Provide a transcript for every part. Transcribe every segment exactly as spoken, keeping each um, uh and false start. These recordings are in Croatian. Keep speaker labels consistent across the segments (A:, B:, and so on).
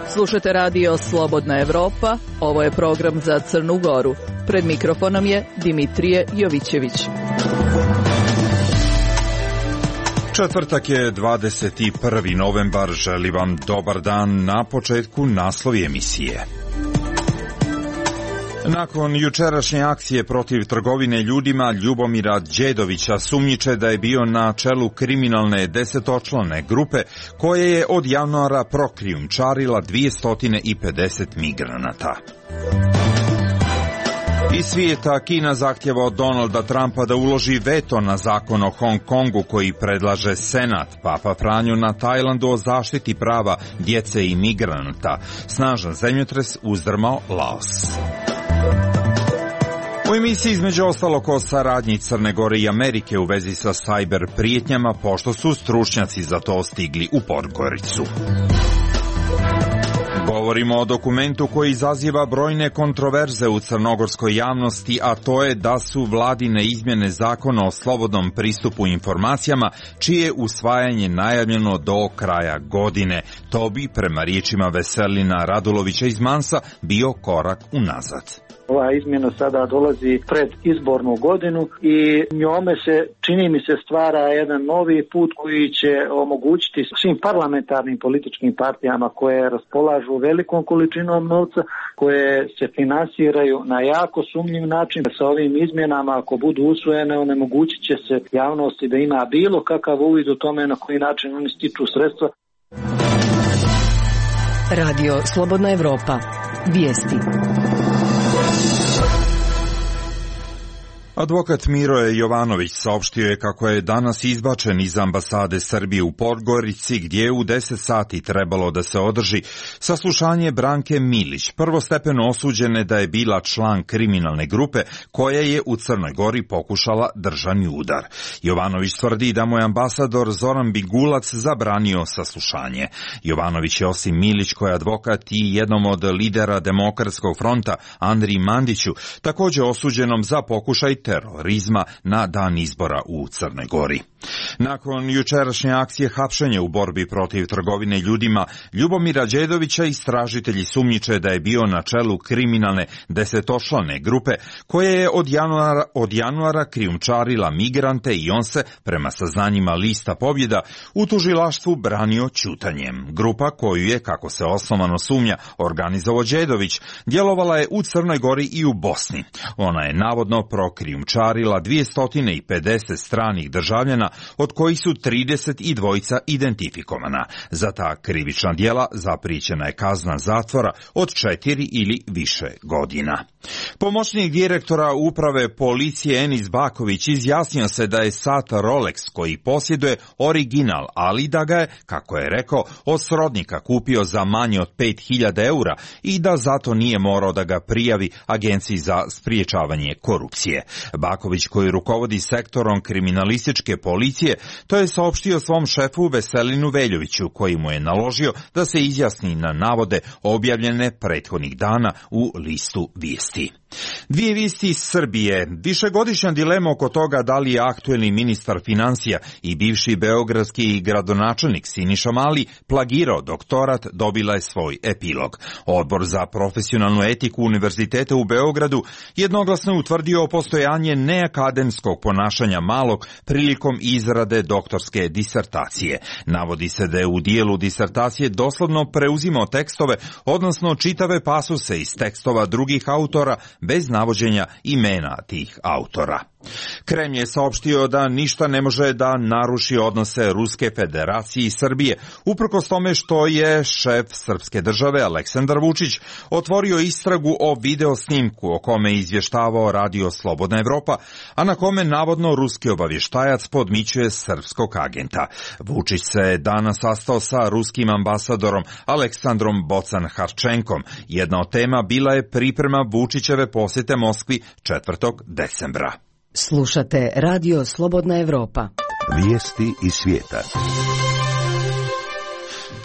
A: Slušate radio Slobodna Evropa, ovo je program za Crnu Goru. Pred mikrofonom je Dimitrije Jovićević.
B: Četvrtak je dvadeset prvi novembar, želim vam dobar dan. Na početku naslovi emisije. Nakon jučerašnje akcije protiv trgovine ljudima, Ljubomira Đedovića sumnjiče da je bio na čelu kriminalne desetočlane grupe koja je od januara prokrijumčarila dvjesto pedeset migranata. Iz svijeta, Kina zahtjeva od Donalda Trumpa da uloži veto na zakon o Hong Kongu koji predlaže Senat. Papa Franjo na Tajlandu o zaštiti prava djece i migranata. Snažan zemljotres uzdrmao Laos. U emisiji između ostalog o saradnji Crne Gore i Amerike u vezi sa sajber prijetnjama, pošto su stručnjaci za to stigli u Podgoricu. Govorimo o dokumentu koji izaziva brojne kontroverze u crnogorskoj javnosti, a to je da su vladine izmjene zakona o slobodnom pristupu informacijama, čije usvajanje najavljeno do kraja godine. To bi, prema riječima Veselina Radulovića iz Mansa, bio korak unazad.
C: Ova izmjena sada dolazi pred izbornu godinu i njome se, čini mi se, stvara jedan novi put koji će omogućiti svim parlamentarnim političkim partijama koje raspolažu velikom količinom novca, koje se finansiraju na jako sumnjiv način. Sa ovim izmjenama, ako budu usvojene, onemogućit će se javnosti da ima bilo kakav uvid u tome na koji način oni stiču sredstva.
D: Radio Slobodna Evropa. Vijesti.
B: Advokat Miroje Jovanović saopštio je kako je danas izbačen iz ambasade Srbije u Podgorici, gdje je u deset sati trebalo da se održi saslušanje Branke Milić, prvostepeno osuđene da je bila član kriminalne grupe koja je u Crnoj Gori pokušala državni udar. Jovanović tvrdi da mu je ambasador Zoran Bigulac zabranio saslušanje. Jovanović je osim Milić, koja je advokat, i jednom od lidera Demokratskog fronta, Andriji Mandiću, također osuđenom za pokušaj terorizma na dan izbora u Crnoj Gori. Nakon jučerašnje akcije hapšenja u borbi protiv trgovine ljudima, Ljubomira Đedovića istražitelji sumnjiče da je bio na čelu kriminalne desetočlane grupe koja je od januara, od januara krijumčarila migrante i on se, prema saznanjima Lista Pobjeda, u tužilaštvu branio ćutanjem. Grupa koju je, kako se osnovano sumnja, organizovao Đedović, djelovala je u Crnoj Gori i u Bosni. Ona je navodno prokrijumčarila dvjesto pedeset stranih državljana, od kojih su trideset dva identifikovana. Za ta krivična djela zaprijećena je kazna zatvora od četiri ili više godina. Pomoćnik direktora uprave policije Enis Baković izjasnio se da je sat Rolex koji posjeduje original, ali da ga je, kako je rekao, od srodnika kupio za manje od pet hiljada eura i da zato nije morao da ga prijavi Agenciji za spriječavanje korupcije. Baković, koji rukovodi sektorom kriminalističke policije, to je saopštio svom šefu Veselinu Veljoviću, koji mu je naložio da se izjasni na navode objavljene prethodnih dana u listu vijesti. Dvije vijesti iz Srbije. Višegodišnja dilema oko toga da li je aktuelni ministar financija i bivši beogradski gradonačelnik Siniša Mali plagirao doktorat dobila je svoj epilog. Odbor za profesionalnu etiku Univerziteta u Beogradu jednoglasno je utvrdio postojanje neakademskog ponašanja Malog prilikom izrade doktorske disertacije. Navodi se da je u dijelu disertacije doslovno preuzimao tekstove, odnosno čitave pasuse iz tekstova drugih autora bez navođenja imena tih autora. Kremlj je saopštio da ništa ne može da naruši odnose Ruske federacije i Srbije, uprkos tome što je šef srpske države Aleksandar Vučić otvorio istragu o video snimku o kome je izvještavao Radio Slobodna Evropa, a na kome navodno ruski obavještajac podmićuje srpskog agenta. Vučić se danas sastao sa ruskim ambasadorom Aleksandrom Bocan-Harčenkom. Jedna od tema bila je priprema Vučićeve posjete Moskvi četvrtog decembra.
D: Slušate Radio Slobodna Evropa.
E: Vijesti iz svijeta.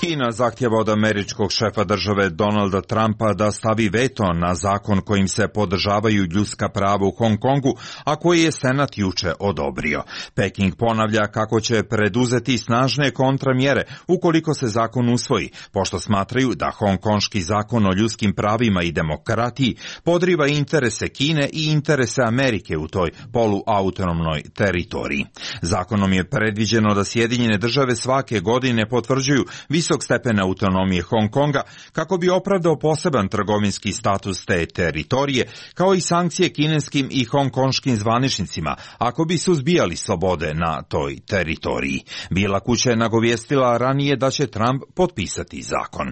B: Kina zahtjeva od američkog šefa države Donalda Trumpa da stavi veto na zakon kojim se podržavaju ljudska prava u Hong Kongu, a koji je Senat juče odobrio. Peking ponavlja kako će preduzeti snažne kontramjere ukoliko se zakon usvoji, pošto smatraju da hongkonški zakon o ljudskim pravima i demokratiji podriva interese Kine i interese Amerike u toj poluautonomnoj teritoriji. Zakonom je predviđeno da Sjedinjene države svake godine potvrđuju visok stepen autonomije Hong Konga kako bi opravdao poseban trgovinski status te teritorije, kao i sankcije kineskim i hongkonškim zvaničnicima ako bi suzbijali slobode na toj teritoriji. Bijela kuća je nagovijestila ranije da će Trump potpisati zakon.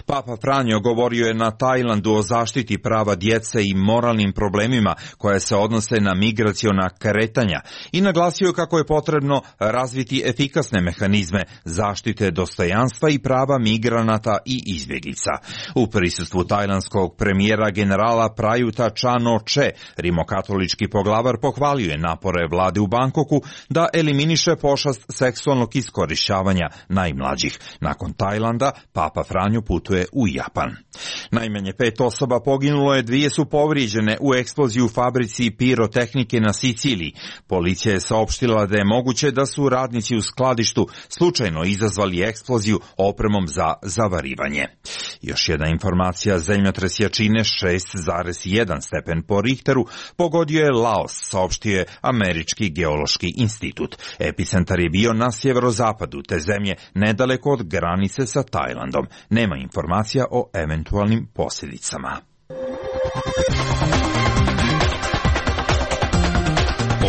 B: Papa Franjo govorio je na Tajlandu o zaštiti prava djece i moralnim problemima koje se odnose na migraciona kretanja i naglasio kako je potrebno razviti efikasne mehanizme zaštite dostojanstva i prava migranata i izbjeglica. U prisustvu tajlandskog premijera generala Prayuta Chan-o-che, rimokatolički poglavar pohvalio je napore vlade u Bangkoku da eliminiše pošast seksualnog iskorišćavanja najmlađih. Nakon Tajlanda, Papa Franjo putuje u Japan. Najmanje pet osoba poginulo je, dvije su povrijeđene u eksploziji u fabrici pirotehnike na Siciliji. Policija je saopštila da je moguće da su radnici u skladištu slučajno izazvali eksploziju opremom za zavarivanje. Još jedna informacija, zemljotres jačine šest zarez jedan stepen po Richteru pogodio je Laos, saopštio je Američki geološki institut. Epicentar je bio na sjeverozapadu te zemlje, nedaleko od granice sa Tajlandom. Nema informacija o eventualnim posljedicama.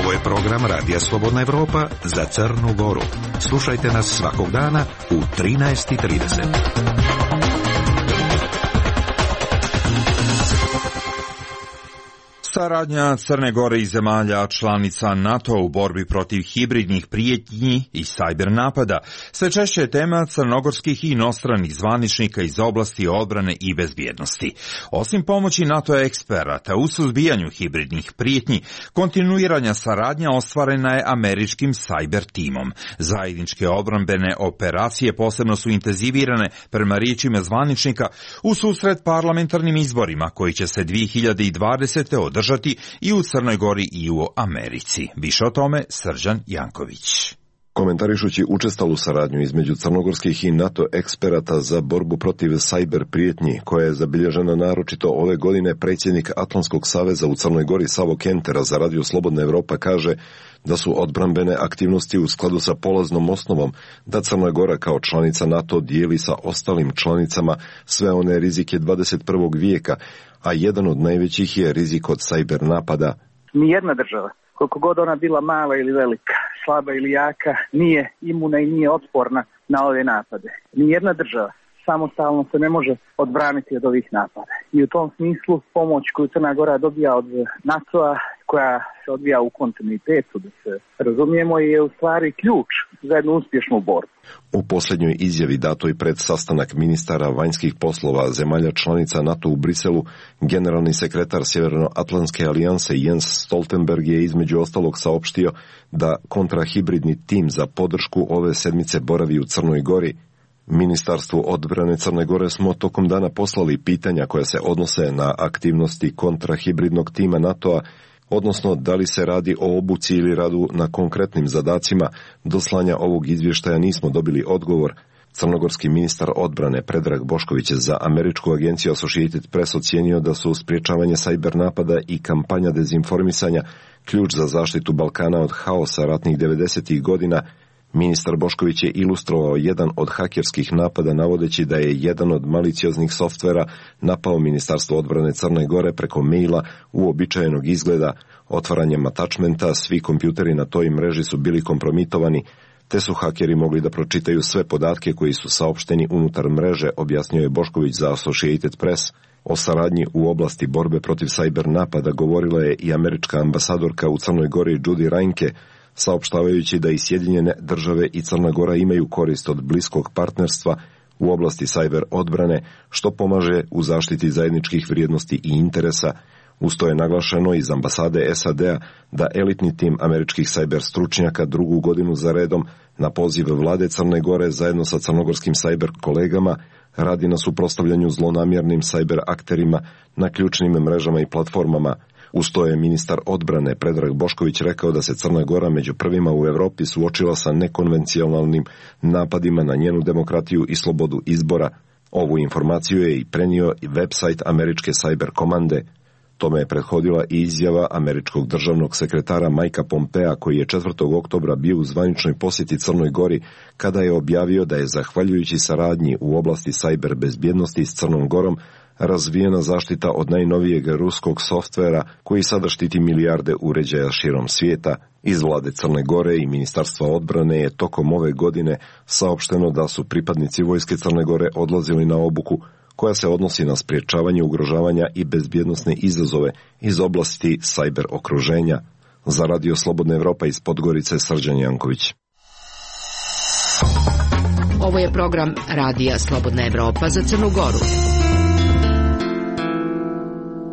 E: Ovo je program Radija Slobodna Evropa za Crnu Goru. Slušajte nas svakog dana u trinaest i trideset.
B: Saradnja Crne Gore i zemalja članica NATO u borbi protiv hibridnih prijetnji i sajber napada sve češće je tema crnogorskih i inostranih zvaničnika iz oblasti odbrane i bezbjednosti. Osim pomoći NATO eksperata u suzbijanju hibridnih prijetnji, kontinuiranja saradnja ostvarena je američkim sajber timom. Zajedničke odbrambene operacije posebno su intenzivirane, prema riječima zvaničnika, u susret parlamentarnim izborima koji će se dvije hiljade dvadesete održati i u Crnoj Gori i u Americi. Više o tome Srđan Janković.
F: Komentarišući učestalu saradnju između crnogorskih i NATO eksperata za borbu protiv sajber prijetnji, koja je zabilježena naročito ove godine, predsjednik Atlantskog saveza u Crnoj Gori Savo Kentera za Radio Slobodna Evropa kaže da su odbrambene aktivnosti u skladu sa polaznom osnovom da Crna Gora kao članica NATO dijeli sa ostalim članicama sve one rizike dvadeset prvog vijeka, a jedan od najvećih je rizik od sajber napada.
G: Nijedna država, koliko god ona bila mala ili velika, slaba ili jaka, nije imuna i nije otporna na ove napade. Nijedna država samostalno se ne može odbraniti od ovih napada. I u tom smislu pomoć koju Crna Gora dobija od NATO-a, koja se odvija u kontinuitetu, da se razumijemo, je u stvari ključ za jednu uspješnu borbu.
F: U posljednjoj izjavi datoj pred sastanak ministara vanjskih poslova zemalja članica NATO u Briselu, generalni sekretar Sjevernoatlantske alijanse Jens Stoltenberg je između ostalog saopštio da kontrahibridni tim za podršku ove sedmice boravi u Crnoj Gori. Ministarstvu odbrane Crne Gore smo tokom dana poslali pitanja koja se odnose na aktivnosti kontrahibridnog tima NATO-a, odnosno da li se radi o obuci ili radu na konkretnim zadacima. Do slanja ovog izvještaja nismo dobili odgovor. Crnogorski ministar odbrane Predrag Bošković je za američku agenciju Associated Press ocijenio da su sprječavanje sajber napada i kampanja dezinformisanja ključ za zaštitu Balkana od haosa ratnih devedesetih godina. Ministar Bošković je ilustrovao jedan od hakerskih napada navodeći da je jedan od malicioznih softvera napao Ministarstvo odbrane Crne Gore preko maila uobičajenog izgleda. Otvaranjem attachmenta svi kompjuteri na toj mreži su bili kompromitovani, te su hakeri mogli da pročitaju sve podatke koji su saopšteni unutar mreže, objasnio je Bošković za Associated Press. O saradnji u oblasti borbe protiv sajber napada govorila je i američka ambasadorka u Crnoj Gori Judy Reinke, saopštavajući da i Sjedinjene države i Crna Gora imaju korist od bliskog partnerstva u oblasti sajber odbrane, što pomaže u zaštiti zajedničkih vrijednosti i interesa. Usto je naglašeno iz ambasade S A D-a da elitni tim američkih sajber stručnjaka drugu godinu za redom Na poziv vlade Crne Gore zajedno sa crnogorskim sajber kolegama radi na suprotstavljanju zlonamjernim sajber akterima na ključnim mrežama i platformama. Uz to je ministar odbrane Predrag Bošković rekao da se Crna Gora među prvima u Evropi suočila sa nekonvencionalnim napadima na njenu demokratiju i slobodu izbora. Ovu informaciju je i prenio i website američke sajber komande. Tome je prethodila i izjava američkog državnog sekretara Mikea Pompea, koji je četvrtog oktobra bio u zvaničnoj posjeti Crnoj Gori, kada je objavio da je zahvaljujući saradnji u oblasti sajber bezbjednosti s Crnom Gorom razvijena zaštita od najnovijeg ruskog softvera koji sada štiti milijarde uređaja širom svijeta. Iz vlade Crne Gore i Ministarstva odbrane je tokom ove godine saopšteno da su pripadnici vojske Crne Gore odlazili na obuku koja se odnosi na sprječavanje ugrožavanja i bezbjednosne izazove iz oblasti sajber okruženja. Za Radio Slobodna Evropa iz Podgorice, Srđan Janković.
D: Ovo je program Radija Slobodna Evropa za Crnu Goru.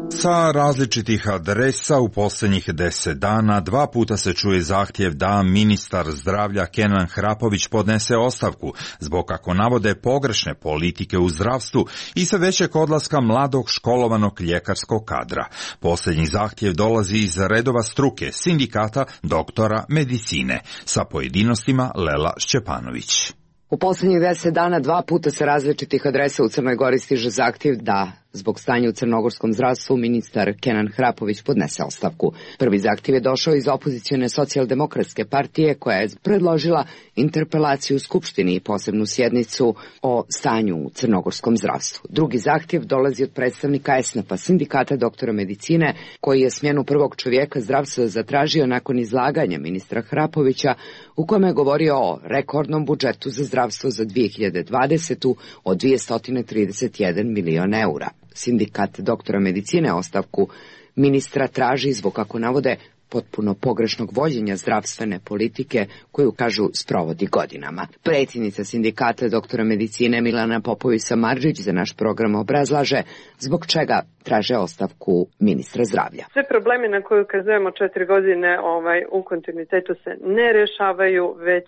B: Sa različitih adresa u posljednjih deset dana dva puta se čuje zahtjev da ministar zdravlja Kenan Hrapović podnese ostavku zbog, kako navode, pogrešne politike u zdravstvu i sve većeg odlaska mladog školovanog ljekarskog kadra. Posljednji zahtjev dolazi iz redova struke, sindikata doktora medicine. Sa pojedinostima Lela Šćepanović.
H: U posljednjih deset dana dva puta sa različitih adresa u Crnoj Gori stiže zahtjev da, zbog stanja u crnogorskom zdravstvu, ministar Kenan Hrapović podnese ostavku. Prvi zahtjev je došao iz opozicione socijaldemokratske partije, koja je predložila interpelaciju u Skupštini i posebnu sjednicu o stanju u crnogorskom zdravstvu. Drugi zahtjev dolazi od predstavnika es en a pe-a, sindikata doktora medicine, koji je smjenu prvog čovjeka zdravstva zatražio nakon izlaganja ministra Hrapovića, u kome je govorio o rekordnom budžetu za zdravstvo za dvije hiljade dvadesetu od dvjesto trideset jedan milion eura. Sindikat doktora medicine ostavku ministra traži zbog, kako navode, potpuno pogrešnog vođenja zdravstvene politike koju, kažu, sprovodi godinama. Predsjednica sindikata doktora medicine Milena Popović-Samardžić za naš program obrazlaže zbog čega traže ostavku ministra zdravlja.
I: Sve problemi na koje ukazujemo četiri godine ovaj, u kontinuitetu se ne rješavaju, već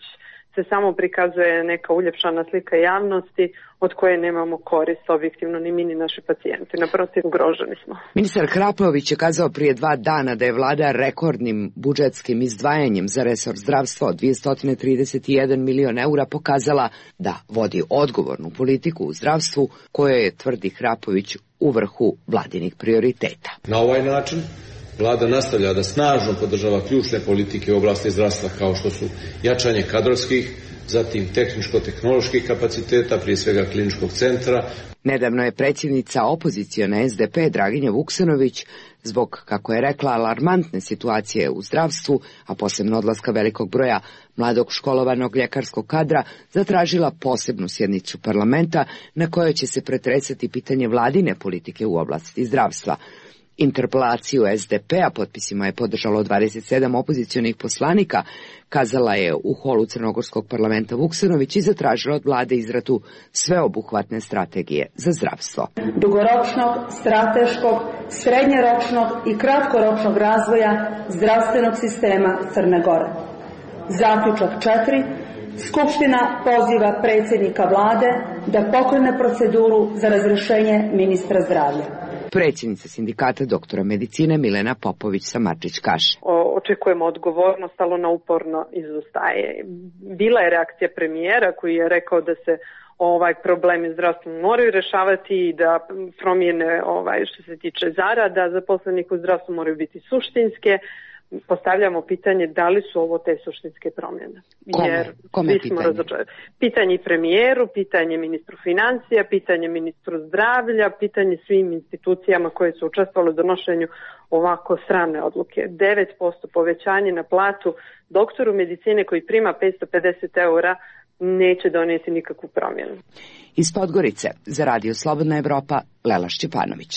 I: se samo prikazuje neka uljepšana slika javnosti od koje nemamo korist objektivno ni mi ni naši pacijenti. Naprotiv, ugroženi smo.
H: Ministar Hrapović je kazao prije dva dana da je vlada rekordnim budžetskim izdvajanjem za resor zdravstva od dvjesto trideset jedan milion eura pokazala da vodi odgovornu politiku u zdravstvu, koje je, tvrdi Hrapović, u vrhu vladinih prioriteta.
J: Na ovaj način Vlada nastavlja da snažno podržava ključne politike u oblasti zdravstva, kao što su jačanje kadrovskih, zatim tehničko-tehnoloških kapaciteta, prije svega kliničkog centra.
H: Nedavno je predsjednica opozicione es de pe Draginja Vuksanović zbog, kako je rekla, alarmantne situacije u zdravstvu, a posebno odlaska velikog broja mladog školovanog ljekarskog kadra, zatražila posebnu sjednicu parlamenta na kojoj će se pretresati pitanje vladine politike u oblasti zdravstva. Interpelaciju es de pe-a potpisima je podržalo dvadeset sedam opozicionih poslanika, kazala je u holu crnogorskog parlamenta Vuksanović i zatražila od vlade izradu sveobuhvatne strategije za zdravstvo.
K: Dugoročnog, strateškog, srednjoročnog i kratkoročnog razvoja zdravstvenog sistema Crne Gore. Zaključak četiri. Skupština poziva predsjednika vlade da pokrene proceduru za razrješenje ministra zdravlja.
H: Predsjednica sindikata doktora medicine Milena Popović-Samardžić kaže:
I: Očekujemo odgovornost, ali ona uporno izostaje. Bila je reakcija premijera koji je rekao da se ovaj problemi zdravstva moraju rješavati i da promjene ovaj, što se tiče zarada zaposlenih u zdravstvu moraju biti suštinske. Postavljamo pitanje da li su ovo te suštinske promjene. Jer
H: Kome? Kome
I: svi smo razočarani. Pitanje premijeru, pitanje ministru financija, pitanje ministru zdravlja, pitanje svim institucijama koje su učestvovale u donošenju ovako sramne odluke. devet posto povećanje na platu doktoru medicine koji prima petsto pedeset eura neće donijeti nikakvu promjenu.
H: Iz Podgorice za Radio Slobodna Evropa, Lela Šćepanović.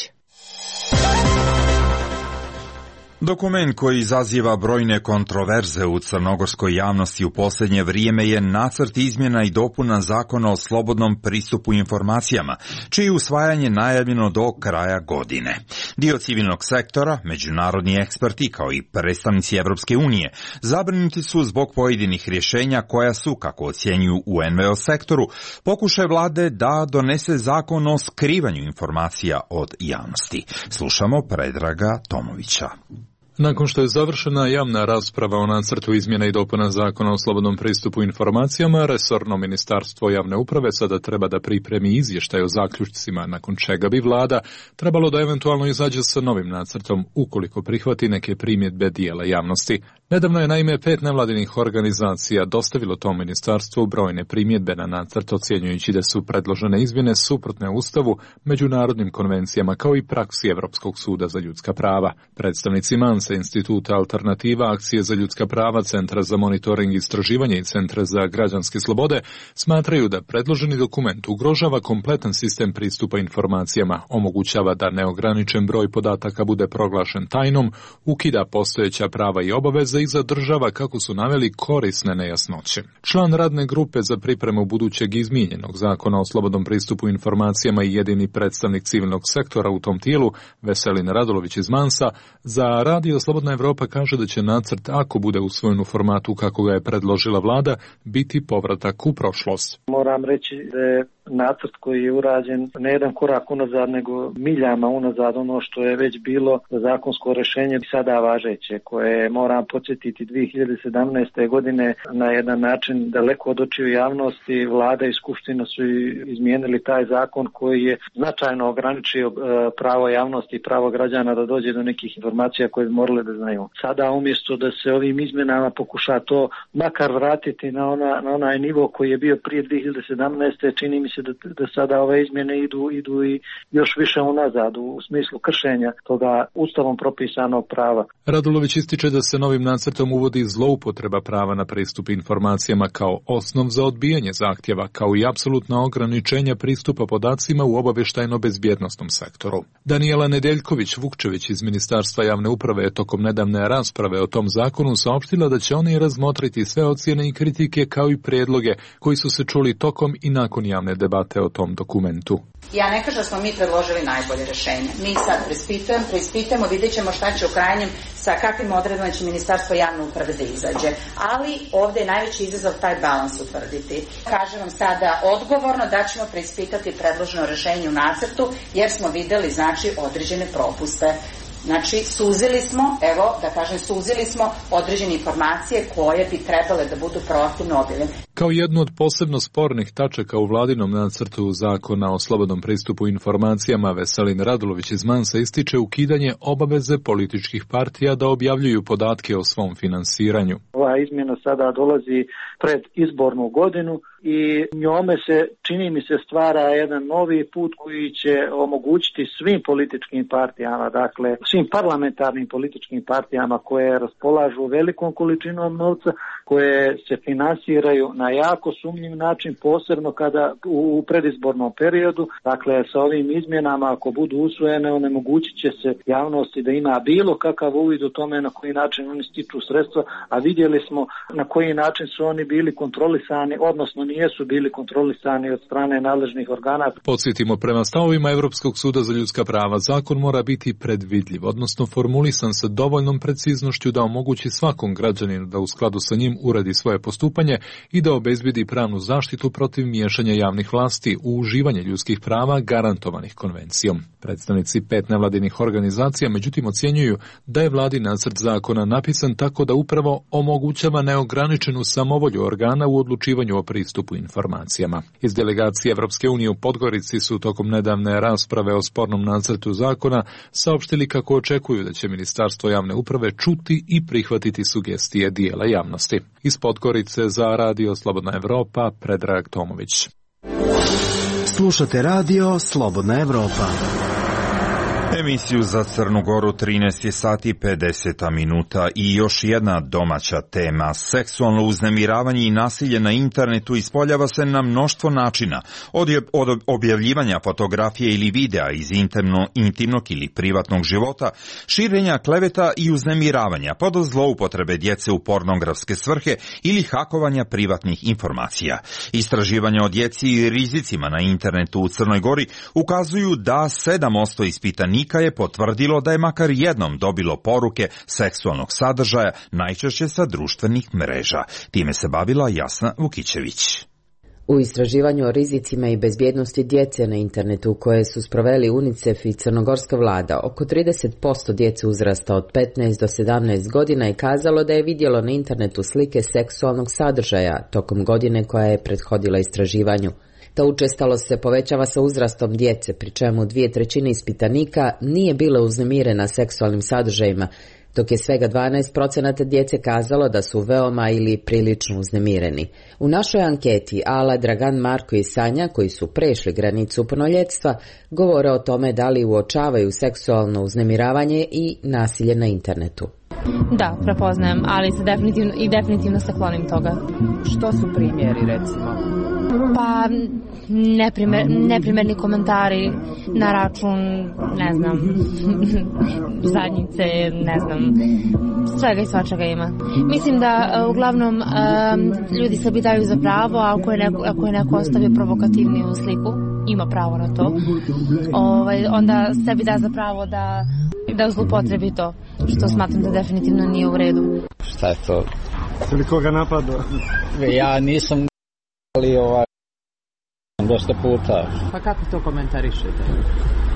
B: Dokument koji izaziva brojne kontroverze u crnogorskoj javnosti u posljednje vrijeme je nacrt izmjena i dopuna Zakona o slobodnom pristupu informacijama, čije je usvajanje najavljeno do kraja godine. Dio civilnog sektora, međunarodni eksperti kao i predstavnici Evropske unije zabrinuti su zbog pojedinih rješenja koja su, kako ocjenjuju u en ve o sektoru, pokušaj vlade da donese zakon o skrivanju informacija od javnosti. Slušamo Predraga Tomovića.
L: Nakon što je završena javna rasprava o nacrtu izmjena i dopuna Zakona o slobodnom pristupu informacijama, resorno ministarstvo javne uprave sada treba da pripremi izvještaj o zaključcima, nakon čega bi vlada trebalo da eventualno izađe sa novim nacrtom ukoliko prihvati neke primjedbe dijela javnosti. Nedavno je naime pet nevladinih organizacija dostavilo tom ministarstvu brojne primjedbe na nacrt, ocjenjujući da su predložene izmjene suprotne Ustavu, međunarodnim konvencijama kao i praksi Evropskog suda za ljudska prava. Predstavnici Mansa, Instituta Alternativa, Akcije za ljudska prava, Centra za monitoring i istraživanje i Centra za građanske slobode smatraju da predloženi dokument ugrožava kompletan sistem pristupa informacijama, omogućava da neograničen broj podataka bude proglašen tajnom, ukida postojeća prava i obaveze i zadržava, kako su naveli, korisne nejasnoće. Član radne grupe za pripremu budućeg izmijenjenog Zakona o slobodnom pristupu informacijama i jedini predstavnik civilnog sektora u tom tijelu, Veselin Radulović iz Mansa, za Radio Slobodna Evropa kaže da će nacrt, ako bude usvojen u formatu kako ga je predložila vlada, biti povratak u prošlost.
C: Moram reći da je nacrt koji je urađen ne jedan korak unazad, nego miljama unazad ono što je već bilo zakonsko rješenje sada važeće, koje moram podsjetiti dvije hiljade sedamnaeste. godine na jedan način daleko od očiju javnosti. Vlada i Skupština su izmijenili taj zakon koji je značajno ograničio pravo javnosti i pravo građana da dođe do nekih informacija koje bi morali da znaju. Sada umjesto da se ovim izmjenama pokuša to makar vratiti na, ona, na onaj nivo koji je bio prije dvije hiljade sedamnaeste. čini mi se da, da sada ove izmjene idu, idu i još više unazad u smislu kršenja toga ustavom propisanog prava.
L: Radulović ističe da se novim nacrtom uvodi zloupotreba prava na pristup informacijama kao osnov za odbijanje zahtjeva, kao i apsolutna ograničenja pristupa podacima u obavještajno-bezbjednosnom sektoru. Danijela Nedeljković Vukčević iz Ministarstva javne uprave je tokom nedavne rasprave o tom zakonu saopštila da će oni razmotriti sve ocjene i kritike kao i prijedloge koji su se čuli tokom i nakon javne debate o tom dokumentu.
M: Ja ne kažem da smo mi predložili najbolje rješenje. Mi sad preispitujemo, preispitujemo, vidjet ćemo šta će u krajnjem, sa kakvim odredbama će Ministarstvo javne uprave da izađe. Ali ovdje je najveći izazov taj balans utvrditi. Kažem vam sada odgovorno da ćemo preispitati predloženo rješenje u nacrtu, jer smo vidjeli, znači, određene propuste. Znači, suzili smo, evo, da kažem, suzili smo određene informacije koje bi trebale da budu proaktivno objavljene.
L: Kao jednu od posebno spornih tačaka u vladinom nacrtu Zakona o slobodnom pristupu informacijama, Veselin Radulović iz Mansa ističe ukidanje obaveze političkih partija da objavljuju podatke o svom finansiranju.
C: Ova izmjena sada dolazi pred izbornu godinu i njome se, čini mi se, stvara jedan novi put koji će omogućiti svim političkim partijama, dakle svim parlamentarnim političkim partijama koje raspolažu velikom količinom novca, koje se finansiraju na jako sumnjiv način, posebno kada u predizbornom periodu. Dakle, sa ovim izmjenama, ako budu usvojene, onemogućit će se javnosti da ima bilo kakav uvid u tome na koji način oni stiču sredstva, a vidjeli smo na koji način su oni bili kontrolisani, odnosno nijesu bili kontrolisani od strane nadležnih organa.
L: Podsjetimo, prema stavovima Evropskog suda za ljudska prava, zakon mora biti predvidljiv, odnosno formulisan sa dovoljnom preciznošću da omogući svakom građaninu da u skladu sa njim uredi svoje postupanje i da obezbedi pravnu zaštitu protiv miješanja javnih vlasti u uživanje ljudskih prava garantovanih konvencijom. Predstavnici pet nevladinih organizacija međutim ocjenjuju da je vladin nacrt zakona napisan tako da upravo omogućava neograničenu samovolju organa u odlučivanju o pristupu informacijama. Iz delegacije Evropske unije u Podgorici su tokom nedavne rasprave o spornom nacrtu zakona saopštili kako očekuju da će Ministarstvo javne uprave čuti i prihvatiti sugestije dijela javnosti. Iz Podgorice za Radio Slobodna Evropa, Predrag Tomović.
N: Slušate Radio Slobodna Evropa.
B: Emisiju za Crnu Goru trinaest je sati pedeset minuta i još jedna domaća tema. Seksualno uznemiravanje i nasilje na internetu ispoljava se na mnoštvo načina. Od, od objavljivanja fotografije ili videa iz intimno, intimnog ili privatnog života, širenja kleveta i uznemiravanja, pa do zloupotrebe djece u pornografske svrhe ili hakovanja privatnih informacija. Istraživanja o djeci i rizicima na internetu u Crnoj Gori ukazuju da sedam posto ispitanika je potvrdilo da je makar jednom dobilo poruke seksualnog sadržaja, najčešće sa društvenih mreža. Time se bavila Jasna Vukićević.
N: U istraživanju o rizicima i bezbjednosti djece na internetu koje su sproveli UNICEF i crnogorska vlada, oko trideset posto djece uzrasta od petnaest do sedamnaest godina je kazalo da je vidjelo na internetu slike seksualnog sadržaja tokom godine koja je prethodila istraživanju. Ta učestalost se povećava sa uzrastom djece, pri čemu dvije trećine ispitanika nije bila uznemirena seksualnim sadržajima, dok je svega dvanaest posto djece kazalo da su veoma ili prilično uznemireni. U našoj anketi Ala, Dragan, Marko i Sanja, koji su prešli granicu punoljetstva, govore o tome da li uočavaju seksualno uznemiravanje i nasilje na internetu.
O: Da, prepoznajem, ali se definitivno, i definitivno se klonim toga.
P: Što su primjeri, recimo?
O: Pa, neprimer, neprimerni komentari na račun, ne znam, zadnjice, ne znam, svega i svačega ima. Mislim da uglavnom um, ljudi sebi daju za pravo, a ako je neko, ako je neko ostavio provokativniju sliku, ima pravo na to, ovaj, onda sebi da za pravo da, da zlupotrebi to, što smatram da definitivno nije u redu.
Q: Šta je to?
R: Ili koga napadao?
Q: Ja nisam, ali ovaj, dosta puta.
P: Pa kako to komentarišete?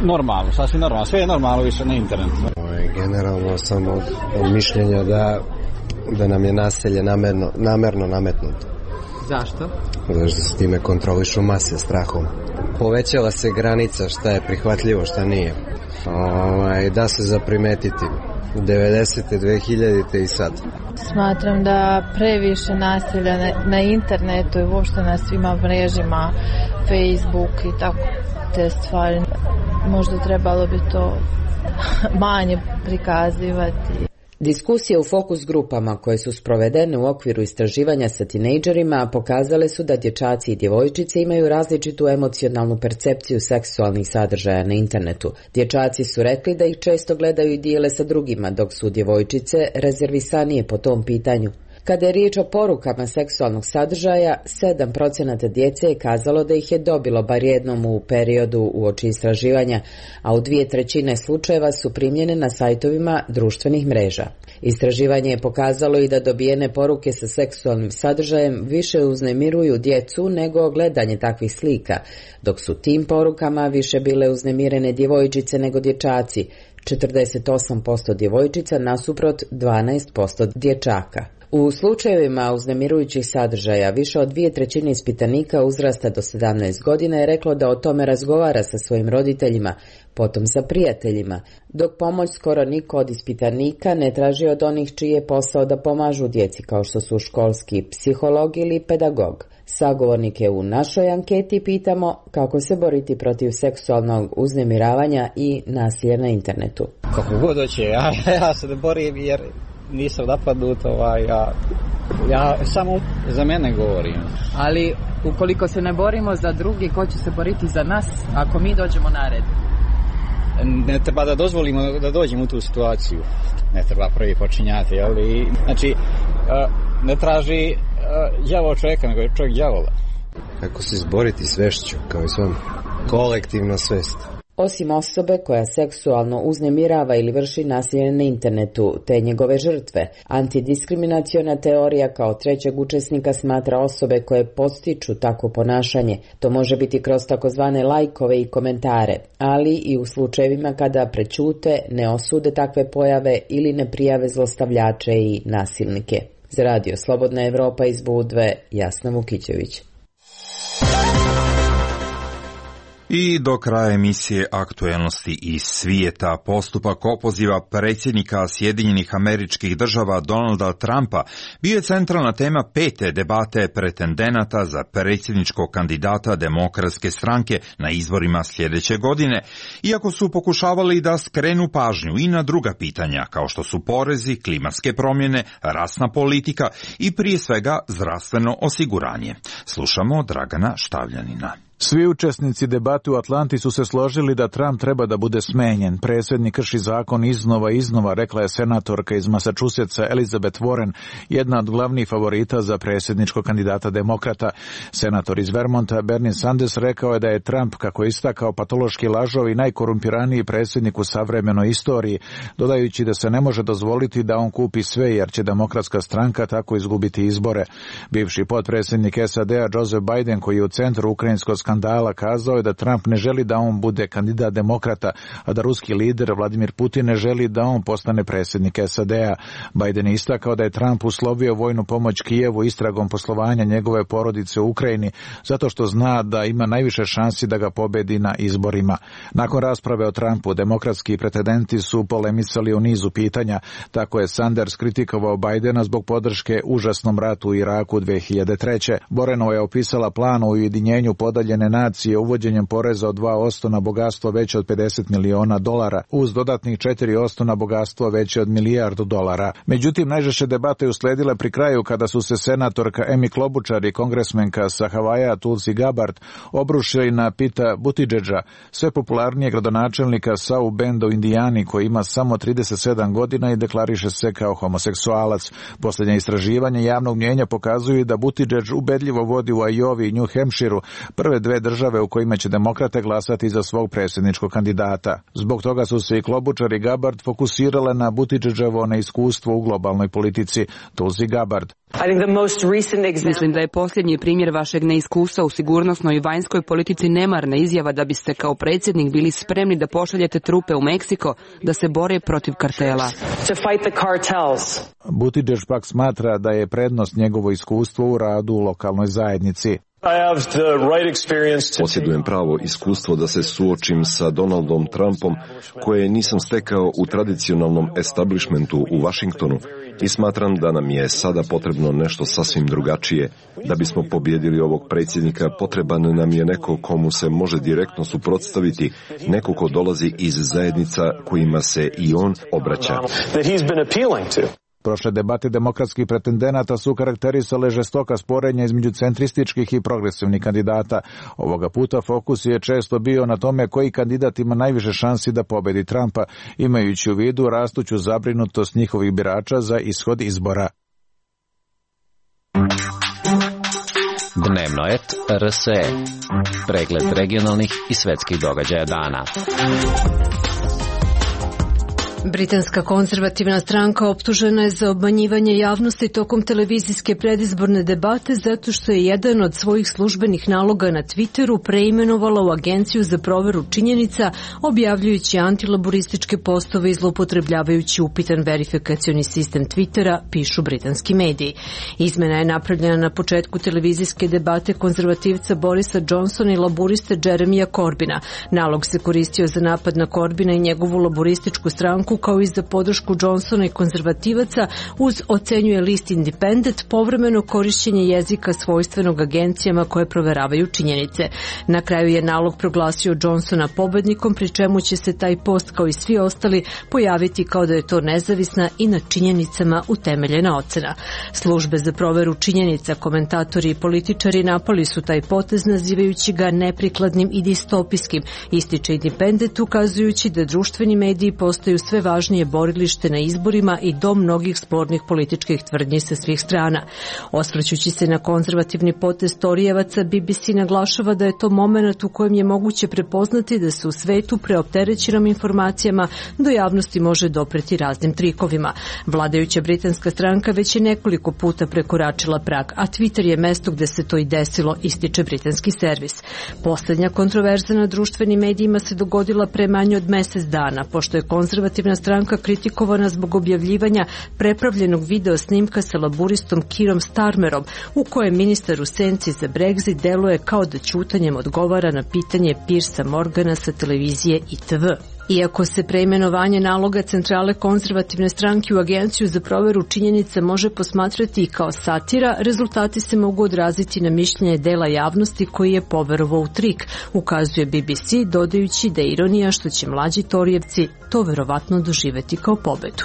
Q: Normalno, sasvim normalno. Sve je normalno više na internetu.
S: Generalno sam od, od mišljenja da, da nam je nasilje namerno, namerno nametnuto.
P: Zašto?
S: Zato što se time kontrolišu mase strahom. Povećala se granica šta je prihvatljivo, šta nije. Ovaj, da se zaprimetiti. devedesete, dve hiljadite i sad.
T: Smatram da previše nasilja na, na internetu i uopšte na svima mrežima, Facebook i tako te stvari. Možda trebalo bi to manje prikazivati.
N: Diskusije u fokus grupama koje su sprovedene u okviru istraživanja sa tinejdžerima pokazale su da dječaci i djevojčice imaju različitu emocionalnu percepciju seksualnih sadržaja na internetu. Dječaci su rekli da ih često gledaju i dijele sa drugima, dok su djevojčice rezervisanije po tom pitanju. Kada je riječ o porukama seksualnog sadržaja, sedam posto djece je kazalo da ih je dobilo bar jednom u periodu uoči istraživanja, a u dvije trećine slučajeva su primljene na sajtovima društvenih mreža. Istraživanje je pokazalo i da dobijene poruke sa seksualnim sadržajem više uznemiruju djecu nego gledanje takvih slika, dok su tim porukama više bile uznemirene djevojčice nego dječaci, četrdeset osam posto djevojčica nasuprot dvanaest posto dječaka. U slučajevima uznemirujućih sadržaja više od dvije trećine ispitanika uzrasta do sedamnaest godina je reklo da o tome razgovara sa svojim roditeljima, potom sa prijateljima, dok pomoć skoro niko od ispitanika ne traži od onih čiji je posao da pomažu djeci, kao što su školski psiholog ili pedagog. Sagovornike u našoj anketi pitamo kako se boriti protiv seksualnog uznemiravanja i nasilja na internetu.
Q: Kako god hoće, ja, ja se ne borim jer nisam napadnut, ovaj, ja, ja samo za mene govorim.
P: Ali ukoliko se ne borimo za drugi, ko će se boriti za nas ako mi dođemo na red?
Q: Ne treba da dozvolimo da dođemo u tu situaciju. Ne treba prvi počinjati, ali znači ne traži đavo čovjeka, nego je čovjek đavola.
S: Kako se izboriti svešću, kao i svom kolektivno svest.
N: Osim osobe koja seksualno uznemirava ili vrši nasilje na internetu, te njegove žrtve, antidiskriminaciona teorija kao trećeg učesnika smatra osobe koje podstiču takvo ponašanje. To može biti kroz takozvane lajkove i komentare, ali i u slučajevima kada prećute, ne osude takve pojave ili ne prijave zlostavljače i nasilnike. Za Radio Slobodna Evropa iz Budve, Jasna Vukićević.
B: I do kraja emisije Aktuelnosti iz svijeta, postupak opoziva predsjednika Sjedinjenih Američkih Država Donalda Trumpa bio je centralna tema pete debate pretendenata za predsjedničkog kandidata Demokratske stranke na izborima sljedeće godine, iako su pokušavali da skrenu pažnju i na druga pitanja kao što su porezi, klimatske promjene, rasna politika i prije svega zdravstveno osiguranje. Slušamo Dragana Štavljanina.
U: Svi učesnici debate u Atlanti su se složili da Trump treba da bude smenjen. Predsjednik krši zakon iznova i iznova, rekla je senatorka iz Massachusettsa Elizabeth Warren, jedna od glavnih favorita za predsjedničkog kandidata demokrata. Senator iz Vermonta Bernie Sanders rekao je da je Trump, kako je istakao, patološki lažov i najkorumpiraniji predsjednik u savremenoj istoriji, dodajući da se ne može dozvoliti da on kupi sve jer će Demokratska stranka tako izgubiti izbore. Bivši potpredsjednik S A D-a Joseph Biden, koji je u centru ukrajinskog skandala, kazao je da Trump ne želi da on bude kandidat demokrata, a da ruski lider Vladimir Putin ne želi da on postane predsjednik S A D-a. Biden je istakao da je Trump uslovio vojnu pomoć Kijevu istragom poslovanja njegove porodice u Ukrajini, zato što zna da ima najviše šansi da ga pobedi na izborima. Nakon rasprave o Trumpu, demokratski pretendenti su polemisali o nizu pitanja. Tako je Sanders kritikovao Bidena zbog podrške užasnom ratu u Iraku dve hiljade treće. Boreno je opisala plan o ujedinjenju podaljene nacije uvođenjem poreza od dva posto na bogatstvo veće od pedeset miliona dolara, uz dodatnih četiri posto na bogatstvo veće od milijardu dolara. Međutim, najžešće debate usledile pri kraju kada su se senatorka Amy Klobuchar i kongresmenka sa Havaja Tulsi Gabbard obrušili na Pita Buttigiega, sve popularnije gradonačelnika South Benda u Indijani, koji ima samo trideset sedam godina i deklariše se kao homoseksualac. Posljednje istraživanje javnog mnijenja pokazuju da Buttigieg ubedljivo vodi u Iowi i New Hampshireu, prve dve države u kojima će demokrate glasati za svog predsjedničkog kandidata. Zbog toga su se i Klobuchar i Gabbard fokusirale na Buttigiegovo neiskustvo u globalnoj politici. Tulsi Gabbard.
V: Mislim da je posljednji primjer vašeg neiskustva u sigurnosnoj i vanjskoj politici nemarna izjava da biste kao predsjednik bili spremni da pošaljete trupe u Meksiko da se bore protiv kartela.
U: Buttigieg pak smatra da je prednost njegovo iskustvo u radu u lokalnoj zajednici.
F: Posjedujem pravo iskustvo da se suočim sa Donaldom Trumpom, koje nisam stekao u tradicionalnom establishmentu u Washingtonu, i smatram da nam je sada potrebno nešto sasvim drugačije. Da bismo pobjedili ovog predsjednika, potreban nam je neko komu se može direktno suprotstaviti, neko ko dolazi iz zajednica kojima se i on obraća.
U: Prošle debate demokratskih pretendenata su karakterisale žestoka sporenja između centrističkih i progresivnih kandidata. Ovoga puta fokus je često bio na tome koji kandidat ima najviše šansi da pobedi Trumpa, imajući u vidu rastuću zabrinutost njihovih birača za ishod izbora.
W: Dnevnoet R S E. Pregled regionalnih i svetskih događaja dana.
X: Britanska konzervativna stranka optužena je za obmanjivanje javnosti tokom televizijske predizborne debate zato što je jedan od svojih službenih naloga na Twitteru preimenovala u agenciju za proveru činjenica, objavljujući antilaborističke postove i zloupotrebljavajući upitan verifikacioni sistem Twittera, pišu britanski mediji. Izmena je napravljena na početku televizijske debate konzervativca Borisa Johnsona i laboriste Jeremija Corbina. Nalog se koristio za napad na Corbina i njegovu laborističku stranku, kao i za podršku Johnsona i konzervativaca, uz, ocenjuje list Independent, povremeno korišćenje jezika svojstvenog agencijama koje proveravaju činjenice. Na kraju je nalog proglasio Johnsona pobednikom, pri čemu će se taj post, kao i svi ostali, pojaviti kao da je to nezavisna i na činjenicama utemeljena ocena. Službe za proveru činjenica, komentatori i političari napali su taj potez, nazivajući ga neprikladnim i distopijskim, ističe Independent, ukazujući da društveni mediji postaju sve važnije borilište na izborima i dom mnogih spornih političkih tvrdnji sa svih strana. Osvrćući se na konzervativni potez Torijevaca, B B C naglašava da je to moment u kojem je moguće prepoznati da se u svetu preopterećenom informacijama do javnosti može dopreti raznim trikovima. Vladajuća britanska stranka već je nekoliko puta prekoračila prag, a Twitter je mesto gde se to i desilo, ističe britanski servis. Poslednja kontroverza na društvenim medijima se dogodila pre manje od mesec dana, pošto je konzervativna konzervativna stranka kritikovana zbog objavljivanja prepravljenog video snimka sa laburistom Kirom Starmerom, u kojem ministar u senci za Brexit deluje kao da ćutanjem odgovara na pitanje Piersa Morgana sa televizije I T V. Iako se preimenovanje naloga centrale konzervativne stranke u Agenciju za proveru činjenica može posmatrati i kao satira, rezultati se mogu odraziti na mišljenje dela javnosti koji je poverovao u trik, ukazuje B B C, dodajući da je ironija što će mlađi Torijevci to verovatno doživeti kao pobedu.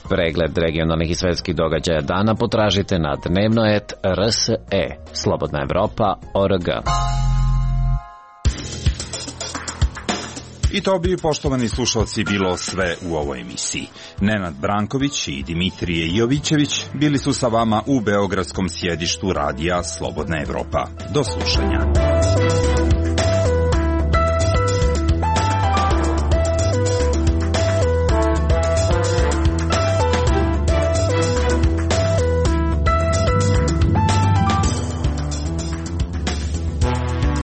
W: Pregled regionalnih i svetskih događaja dana potražite na dnevnoet R S E, Slobodna Evropa, O R G.
B: I to bi, poštovani slušalci, bilo sve u ovoj emisiji. Nenad Branković i Dimitrije Jovićević bili su sa vama u beogradskom sjedištu radija Slobodna Evropa. Do slušanja.